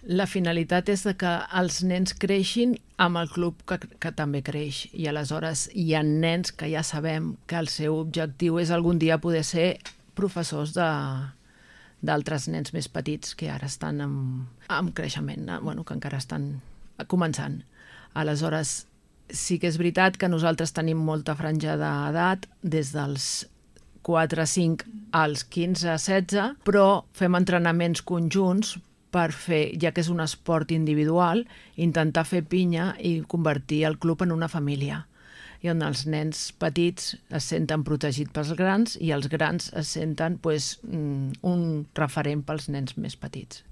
La finalitat és que els nens creixin amb el club que també creix, i aleshores hi ha nens que ja sabem que el seu objectiu és algun dia poder ser professors d'altres nens més petits que ara estan en creixement, que encara estan començant. Aleshores, sí que és veritat que nosaltres tenim molta franja d'edat, des dels 4-5 als 15-16, però fem entrenaments conjunts per fer, ja que és un esport individual, intentar fer pinya i convertir el club en una família, i on els nens petits es senten protegits pels grans i els grans es senten un referent pels nens més petits.